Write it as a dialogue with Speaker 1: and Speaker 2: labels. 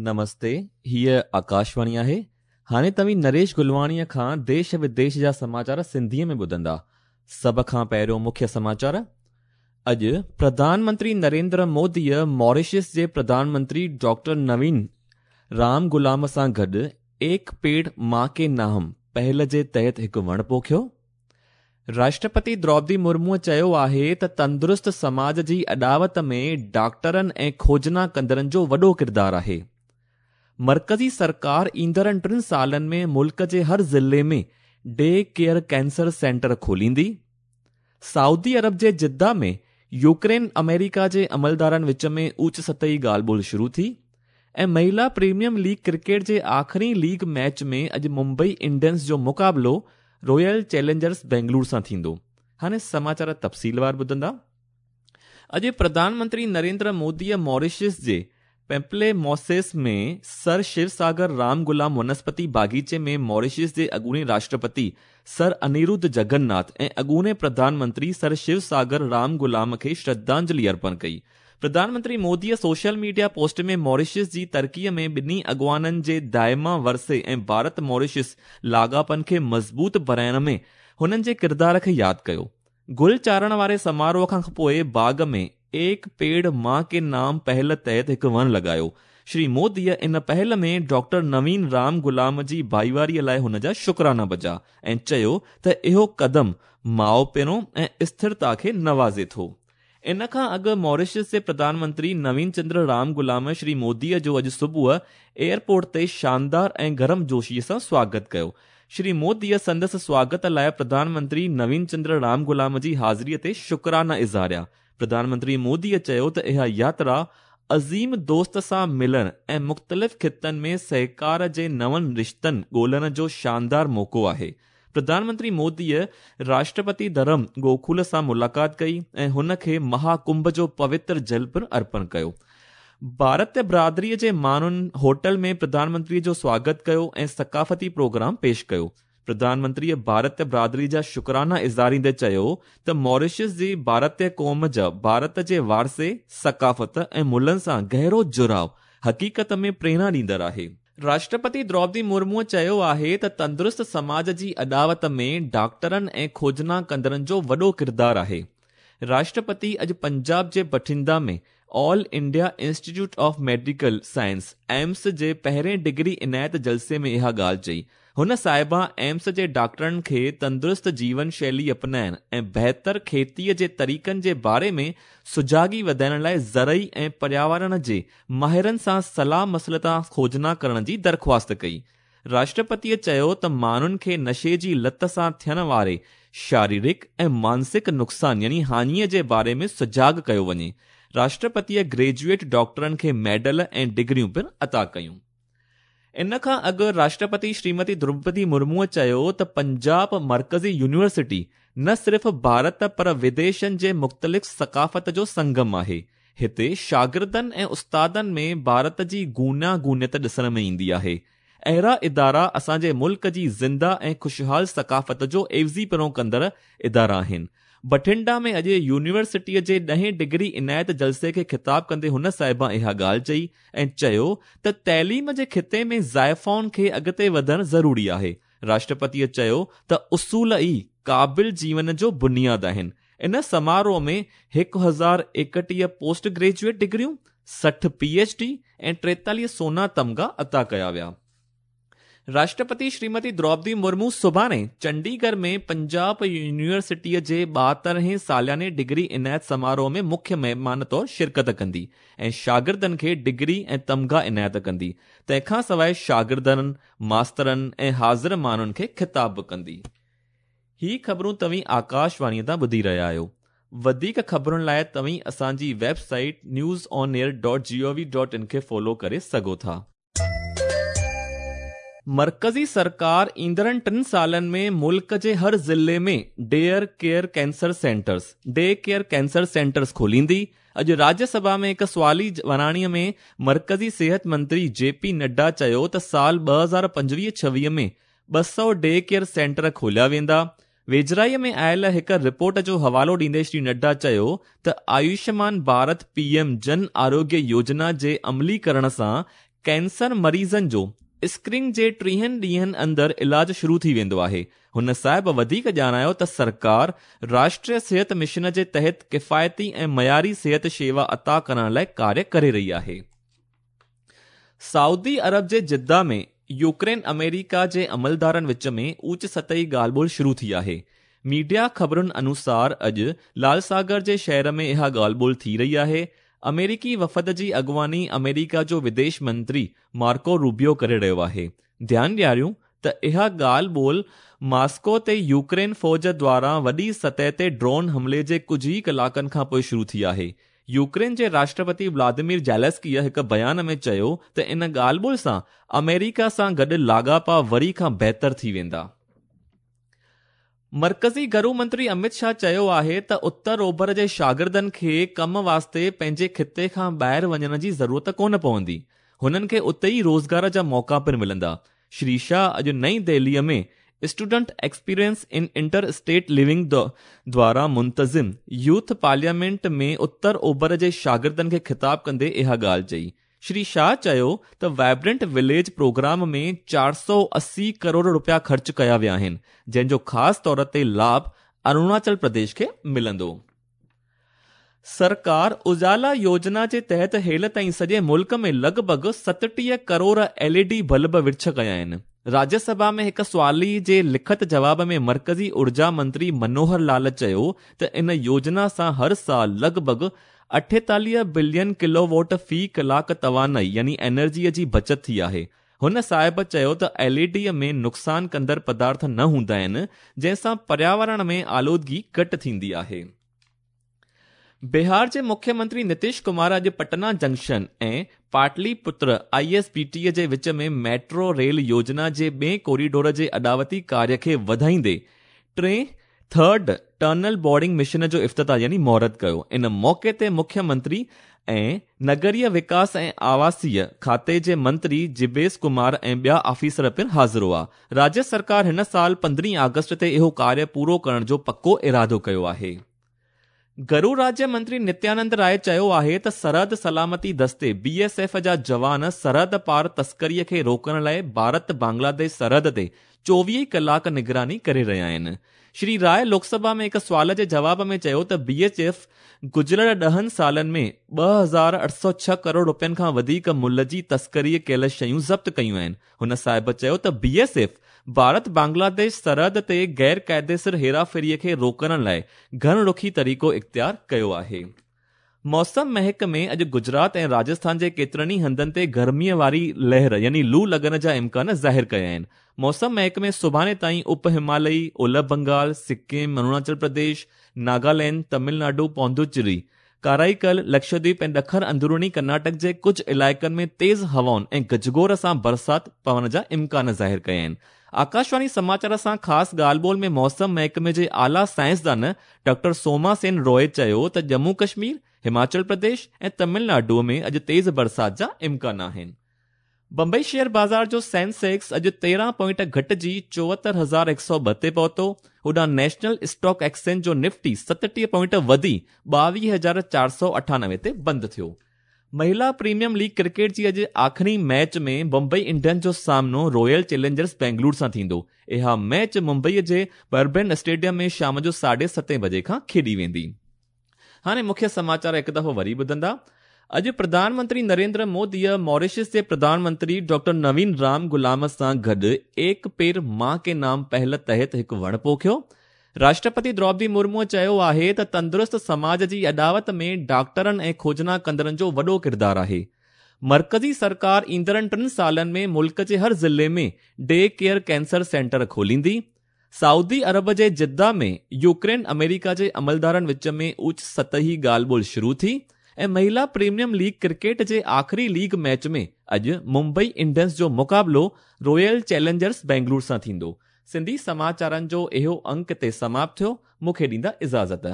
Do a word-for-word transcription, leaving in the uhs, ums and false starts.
Speaker 1: نمستي، هيء آڪاشواڻي آهي. هاڻي توهين نريش گلواڻيءَ کان ديش وديش جا سماچار سنڌيءَ ۾ ٻڌندا. سڀ کان پهريون مکيه سماچار. اڄ پرڌان منتري نريندر موديءَ ماريشس جي پرڌان منتري ڊاڪٽر نوين رام غلام سان گڏ ايڪ پيڙ مان ڪي نام پهل جي تحت هڪ وڻ پوکيو. راشٽرپتي دروپدي مرموءَ چيو آهي ته تندرست سماج جي اڏاوت ۾ ڊاڪٽرن ۽ کوجنا ڪندڙن جو وڏو ڪردار آهي. مرڪزي سرڪار ايندڙ ٽن سالن ۾ ملڪ جي هر ضلعي ۾ ڊي ڪيئر ڪينسر سينٽر کوليندي. سعودي عرب جي جده ۾ يوڪرين آمريڪا جي عملدارن وچ ۾ اوچ سطحي ڳالهه ٻولهه شروع ٿي. ۽ مهلا پريميئم ليگ ڪرڪيٽ جي آخري ليگ ميچ ۾ اڄ ممبئي انڊينز جو مقابلو رائل چئلينجرس بينگلور سان ٿيندو. هاڻي سماچار تفصيلوار ٻڌندا. اڄ پرڌان منتري نريندر موديءَ ماريشس جي پيمپلي موسيس ۾ سر شو ساگر رام غلام ونسپتي باغيچي ۾ ماريشس جي اڳوڻي راشٽرپتي سر انيرڌ جگناٿ ۽ اڳوڻي پرڌان منتري سر شو ساگر رام غلام کي شرڌانجلي ارپڻ ڪئي. Pradhan Mantri موديءَ social media post ۾ Mauritius جي ترقيءَ ۾ ٻنهي اڳواڻن جي دائما ورثي ۽ ڀارت ماريشس لاڳاپن کي مضبوط بڻائڻ ۾ هنن جي ڪردار کي ياد ڪيو. گل چاڙهڻ واري سماروهه کان پوءِ باغ ۾ ايڪ پيڙ مان ڪي نام پهل تحت هڪ وڻ لڳايو. شري موديءَ ان پهل ۾ ڊاڪٽر نوين رام غلام جي ڀائيواريءَ لاءِ هن جا شڪرانا بجا ۽ چيو ته اهو قدم ماءُ پيرو ۽ اسٿرتا کي نوازي ٿو. ان کان اڳ ماريشس جي پرڌان منتري نوين چندر رام غلام شري موديءَ جو اڄ صبح ايئرپورٽ تي شاندار ۽ گرم جوشيءَ سان سواگت ڪيو. شري موديءَ سندس سواگت لاءِ پرڌان منتري نوين چندر رام غلام جي حاضريءَ تي شڪرانا اظهاريا. پرڌان منتري موديءَ چيو ته اها ياترا عظيم دوست سان ملڻ ۽ مختلف خطن ۾ سهڪار جي نون رشتن ڳولڻ جو شاندار موقعو آهي. پرڌان منتري موديءَ راشٽرپتي ڌرم گوکل سان ملاقات ڪئي ۽ هن کي مهاڪنڀ جو پوتر جل پڻ ارپڻ ڪيو. ڀارت برادريءَ جي ماڻهن هوٽل ۾ پرڌان منتريءَ جو سواگت ڪيو ۽ ثقافتي پروگرام پيش ڪيو. پرڌان منتريءَ ڀارت برادري جا شڪرانا اظهاريندي چيو ته ماريشس جي ڀارتيه قوم جا ڀارت جي وارثي، ثقافت ۽ ملن سان گهرو جڙاءُ حقيقت ۾ پريرڻا ڏيندڙ آهي. راشٽرپتي دروپدي مرموءَ چيو آهي ته تندرست سماج جي اڏاوت ۾ ڊاڪٽرن ۽ کوجنا ڪندڙن جو وڏو ڪردار آهي. راشٽرپتي اڄ پنجاب جي Bathinda ۾ All India Institute of Medical Science AIIMS جي پهرين ڊگري عنايت جلسي ۾ اها ڳالهه چئي. هن صاحبه ايمس جي ڊاڪٽرن کي تندرست جيون شيلي اپنائڻ ۽ بهتر کيتيءَ جي طريقن جي باري ۾ سجاڳي وڌائڻ لاءِ زرعي ۽ پرياورڻ جي ماهرن سان صلاح مسلت کوجنا ڪرڻ جي درخواست ڪئي. راشٽرپتيءَ چيو ته ماڻهن کي نشي جي لت سان ٿيڻ واري شاريرڪ ۽ مانسڪ نقصان يعني هاڃيءَ جي باري ۾ سجاڳ ڪيو وڃي. راشٽرپتيءَ گريجوئيٽ ڊاڪٽرن کي ميڊل ۽ ڊگريون پڻ عطا ڪيون. ان کان اڳ راشٽرپتي شريمتي دروپدي مرموءَ چيو ته پنجاب مرڪزي يونيورسٽي نه صرف ڀارت پر وديشن جي مختلف ثقافت جو سنگم آهي. هتي شاگردن ۽ استادن ۾ ڀارت جي گوناگونيت ڏسڻ ۾ ايندي آهي. اهڙا ادارا اسان جي ملڪ جي زنده ۽ خوشحال ثقافت جو عيوضيپڻو ڪندڙ ادارا آهن. بٺنڊا ۾ اڄ يونيورسٽيءَ جي ڏهين ڊگري عنايت جلسي کي خطاب ڪندي هن صاحبه اها ڳالهه چئي ۽ چيو ته تعليم جي خطي ۾ زائفائن کي اڳتي وڌڻ ضروري آهي. راشٽرپتيءَ چيو ته اصول ئي قابل جيون جو بنياد آهن. ان سماروهه ۾ هڪ هزار ايڪٽيهه پوسٽ گريجوئيٽ ڊگريون، سٺ پي ايڇ ڊي ۽ ٽيتاليهه سونا تمغا عطا ڪيا ويا. راشٽرپتي شريمتي دروپدي مرمو سڀاڻي چنڊيڳڙهه ۾ پنجاب يونيورسٽيءَ جي ٻاهترهين سالياني ڊگري عنايت سماروهه ۾ مکيه مهمان طور شرڪت ڪندي ۽ شاگردن کي ڊگري ۽ تمغا عنايت ڪندي. تنهن کان سواءِ شاگردن، ماسترن ۽ حاضر ماڻهن کي خطاب به ڪندي. هي خبرون توهين آڪاشواڻيءَ تان ٻڌي رهيا آهيو. وڌيڪ خبرن لاءِ توهين اسان جي website news on air dot G O V dot in کي فالو ڪري سگهو ٿا. مرڪزي سرڪار ايندڙ ٽن سالن ۾ ملڪ جي هر ضلعي ۾ dare care cancer centres day care cancer centres کوليندي. اڄ راجيه سڀا ۾ هڪ سوالي وراڻيءَ ۾ مرڪزي صحت منتري جي پي نڊا چيو ته سال ٻه هزار پنجويهه ڇويهه ۾ ٻه سؤ ڊي ڪيئر سينٽر کوليا ويندا. ويجهڙائيءَ ۾ آيل هڪ رپورٽ جو حوالو ڏيندي شري نڊا چيو ته آيوشمان ڀارت پي ايم جن آروگيه يوجنا جي عمليڪرڻ سان ڪينسر مريضن جو اسڪريننگ جي ٽيهن ڏينهن اندر علاج شروع ٿي ويندو آهي. هن صاحب وڌيڪ ڄاڻايو ته سرڪار راشٽريه صحت مشن جي تحت ڪفايتي ۽ معياري صحت شيوا عطا ڪرڻ لاءِ ڪاريه ڪري رهي آهي. سعودي عرب جي جده ۾ يوڪرين آمريڪا جي عملدارن وچ ۾ اوچ سطحي ڳالهه ٻولهه شروع ٿي آهي. ميڊيا خبرن انوسار اڄ لال ساگر جي شهر ۾ اها ڳالهه ٻولهه ٿي رهي آهي. آمريڪي وفد جي اڳواڻي آمريڪا جو وديش منتري مارڪو روبيو ڪري رهيو آهي. ڌيان ڏياريون ته اها ڳالهه ٻولهه ماسڪو تي يوڪرين فوج دواران وڏي سطح تي ڊرون حملي جي ڪجهه ئي ڪلاڪن کان پوءِ شروع ٿي آهي. يوڪرين جي راشٽرپتي ولاديمير زيلنسڪيءَ هڪ بيان ۾ چيو ته ان ڳالهه ٻولهه سان آمريڪا سان گڏ لاڳاپا وري کان بهتر ٿي ويندا. مرڪزي گهرو منتري امت شاهه چيو آهي ته اتر اوڀر جي شاگردن کي ڪم واسطي پنهنجي خطي کان ٻاهر وڃڻ جي ضرورت ڪونه پوندي، هنن کي اتي ئي روزگار جا موقعا پڻ ملندا. شري شاهه اڄ نئين دهليءَ ۾ student experience in inter state living دواران منتظم يوٿ پارليامينٽ ۾ اتر اوڀر جي شاگردن کي خطاب ڪندي اها ڳالهه چئي. شري شاهه چيو ته وائبرنٽ وليج پروگرام ۾ چار سؤ اسي ڪروڙ رپيا خرچ ڪيا ويا آهن، جنهن جو خاص طور تي لاڀ اروناچل پرديش کي ملندو. سرڪار اجالا يوجنا جي تحت هيل تائين سڄي ملڪ ۾ لڳ ڀڳ ستٽيهه ڪروڙ ايل اي ڊي بلب ورڇ ڪيا آهن. راجيه سڀا ۾ هڪ سوالي جي لکت جواب ۾ مرڪزي اورجا منتري منوهر لال چيو ته ان يوجنا سان هر سال لڳ ڀڳ اٺيتاليهه بلين ڪلو واٽ في ڪلاڪ توانائي يعني انرجيءَ جي بچت ٿي آهي. هن صاحب چيو ته ايل اي ڊيءَ ۾ نقصان ڪندڙ پدارٿ نه هوندا آهن، جنهن سان پرياورڻ ۾ آلودگي گهٽ ٿيندي آهي. بهار جي مکيه منتري نتيش ڪمار اڄ Patna junction ۽ Pataliputra I S B T جي وچ ۾ ميٽرو ريل يوجنا جي ٻئي ڪوريڊور جي اڏاوتي ڪاريه کي وڌائيندي ٽئين ٿرڊ ٽرنل بورڊنگ مشن جو افتتاح يعني مهورت ڪيو. ان موقعي تي مکيه منتري ۽ نگريه وڪاس ۽ آواسيه کاتي جي منتري جبيس ڪمار ۽ ٻيا آفيسر پڻ حاضر هئا. راجيه سرڪار هن سال پندرهين آگسٽ تي اهو ڪاريه پورو ڪرڻ جو پڪو ارادو ڪيو آهي. گهرو راجيه منتري نتيانند راءِ چيو آهي ته سرحد سلامتي دستي بي ايس ايف جا جوان سرحد پار تسڪريءَ کي روڪڻ لاءِ ڀارت بنگلاديش سرحد تي چوويهه ڪلاڪ نگراني ڪري رهيا آهن. شري راءِ لوڪسڀا ۾ هڪ سوال جي جواب ۾ چيو ته بي ايس ايف گذريل ڏهن سالن ۾ ٻه هزار اٺ سؤ ڇهه ڪروڙ رپين کان وڌيڪ ملهه جي تسڪري ڪيل شيون ضبط ڪيون آهن. هن صاحب چيو ته B S F Bharat Bangladesh سرحد تي غير قاعديسر هيراڦيريءَ کي روڪڻ لاءِ گهڻ رخي طريقو اختيار ڪيو آهي. موسم محڪمي اڄ گجرات ۽ راجسٿان جي ڪيترن ئي هنڌن تي گرميءَ واري لهر يعني لو لڳڻ جا امڪان ظاهر ڪيا آهن. موسم محڪمي سڀاڻي تائين اپ همالئي، اولهه بنگال، سڪم، اروناچل پرديش، ناگالينڊ، تامل ناڊو، پوندوچيري، ڪارائيڪل، لڪشدويپ ۽ ڏکڻ اندروني ڪرناٽڪ جي ڪجهه علائقن ۾ تيز هوائن ۽ گجگوڙ سان برسات پوڻ جا امڪان ظاهر ڪيا آهن. آڪاشواڻي سماچار سان خاص ڳالهه ٻولهه ۾ موسم محڪمي جي اعليٰ سائنسدان ڊاڪٽر سوما سين روءِ چيو ته ڄمون ڪشمير، هماچل پرديش ۽ تامل ناڊو ۾ اڄ تيز برسات جا امڪان آهن. بمبئي شيئر بازار جو سينسيڪس اڄ تيرهن پوائنٽ گهٽجي چوهتر هزار هڪ سؤ ٻه تي پهتو. هوڏانهن نيشنل اسٽاڪ ايڪسچينج جو نفٽي ستٽيهه پوائنٽ وڌي ٻاويهه هزار چار سؤ اٺانوي تي بند ٿيو. مهلا پريميئم ليگ ڪرڪيٽ جي اڄ آخري ميچ ۾ بمبئي انڊينز جو سامنو رائل چئلينجرس بينگلور سان ٿيندو. اها ميچ ممبئي جي بربين اسٽيڊيم ۾ شام جو ساڍي ستين بجي کان کيڏي ويندي. هاڻي مکيه سماچار هڪ دفعو وري ٻڌندا. اڄ پرڌان منتري نريندر موديءَ ماريشس جي پرڌان منتري ڊاڪٽر نوين رام غلام سان گڏ ايڪ پيڙ مان ڪي نام پهل تحت هڪ وڻ پوکيو. راشٽرپتي دروپدي مرموءَ چيو آهي ته تندرست سماج جي اڏاوت ۾ ڊاڪٽرن ۽ کوجنا ڪندڙن جو وڏو ڪردار آهي. مرڪزي سرڪار ايندڙ ٽن سالن ۾ ملڪ جي هر ضلعي ۾ ڊي ڪيئر ڪينسر سينٽر کوليندي. سعودي عرب جي جده ۾ يوڪرين آمريڪا جي عملدارن وچ ۾ اوچ سطحي ڳالهه ٻولهه شروع ٿي ۽ مهلا پريميئم ليگ ڪرڪيٽ جي آخري ليگ ميچ ۾ اڄ ممبئي انڊينز جو مقابلو رائل چئلينجرس بينگلور سان ٿيندو. سنڌي سماچارن جو اهو انڪ تي سماپت ٿيو. مون کي ڏيندا اجازت.